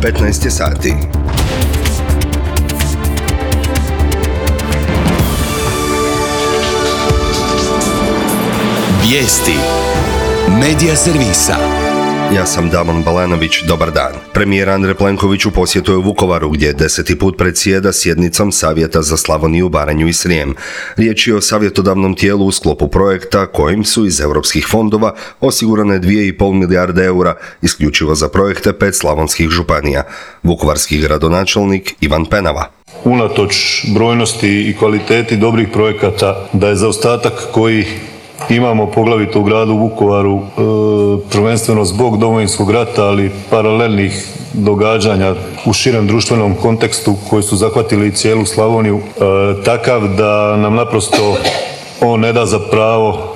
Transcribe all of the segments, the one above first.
15 je sati. Vijesti Medija servisa. Ja sam Damon Balanović, dobar dan. Premijer Andrej Plenković u posjetu je u Vukovaru gdje 10. put predsjeda sjednicom Savjeta za Slavoniju, Baranju i Srijem. Riječ je o savjetodavnom tijelu u sklopu projekta kojim su iz europskih fondova osigurane 2,5 milijarde eura isključivo za projekte 5 slavonskih županija. Vukovarski gradonačelnik Ivan Penava. Unatoč brojnosti i kvaliteti dobrih projekata, da je zaostatak koji imamo poglavito u gradu Vukovaru, prvenstveno zbog Domovinskog rata, ali paralelnih događanja u širem društvenom kontekstu koji su zahvatili cijelu Slavoniju, takav da nam naprosto on ne da za pravo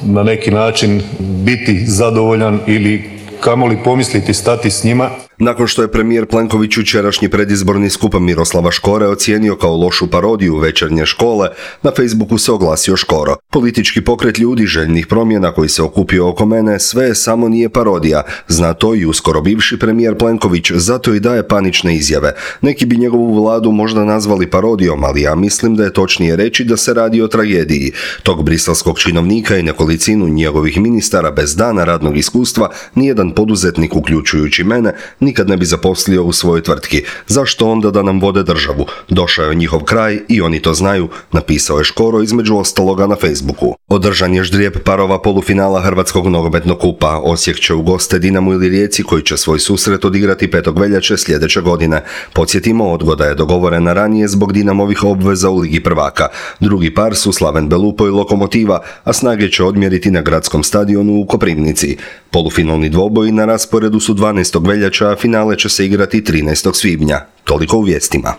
na neki način biti zadovoljan ili kamoli pomisliti stati s njima. Nakon što je premijer Plenković jučerašnji predizborni skup Miroslava Škore ocijenio kao lošu parodiju Večernje škole, na Facebooku se oglasio Škoro. Politički pokret ljudi željnih promjena koji se okupio oko mene sve samo nije parodija. Zna to i uskoro bivši premijer Plenković, zato i daje panične izjave. Neki bi njegovu vladu možda nazvali parodijom, ali ja mislim da je točnije reći da se radi o tragediji. Tog briselskog činovnika i nekolicinu njegovih ministara bez dana radnog iskustva nijedan poduzetnik, uključujući mene, nikad ne bi zaposlio u svojoj tvrtki. Zašto onda da nam vode državu? Došao je njihov kraj i oni to znaju, napisao je Škoro između ostaloga na Facebooku. Održan je ždrijeb parova polufinala Hrvatskog nogometnog kupa. Osijek će u goste Dinamu ili Rijeci koji će svoj susret odigrati 5. veljače sljedeće godine. Podsjetimo, odgoda je dogovorena ranije zbog Dinamovih obveza u Ligi prvaka. Drugi par su Slaven Belupo i Lokomotiva, a snage će odmjeriti na gradskom stadionu u Koprivnici. Polufinalni dvoboj na rasporedu su 12. veljača, a finale će se igrati 13. svibnja. Toliko u vijestima.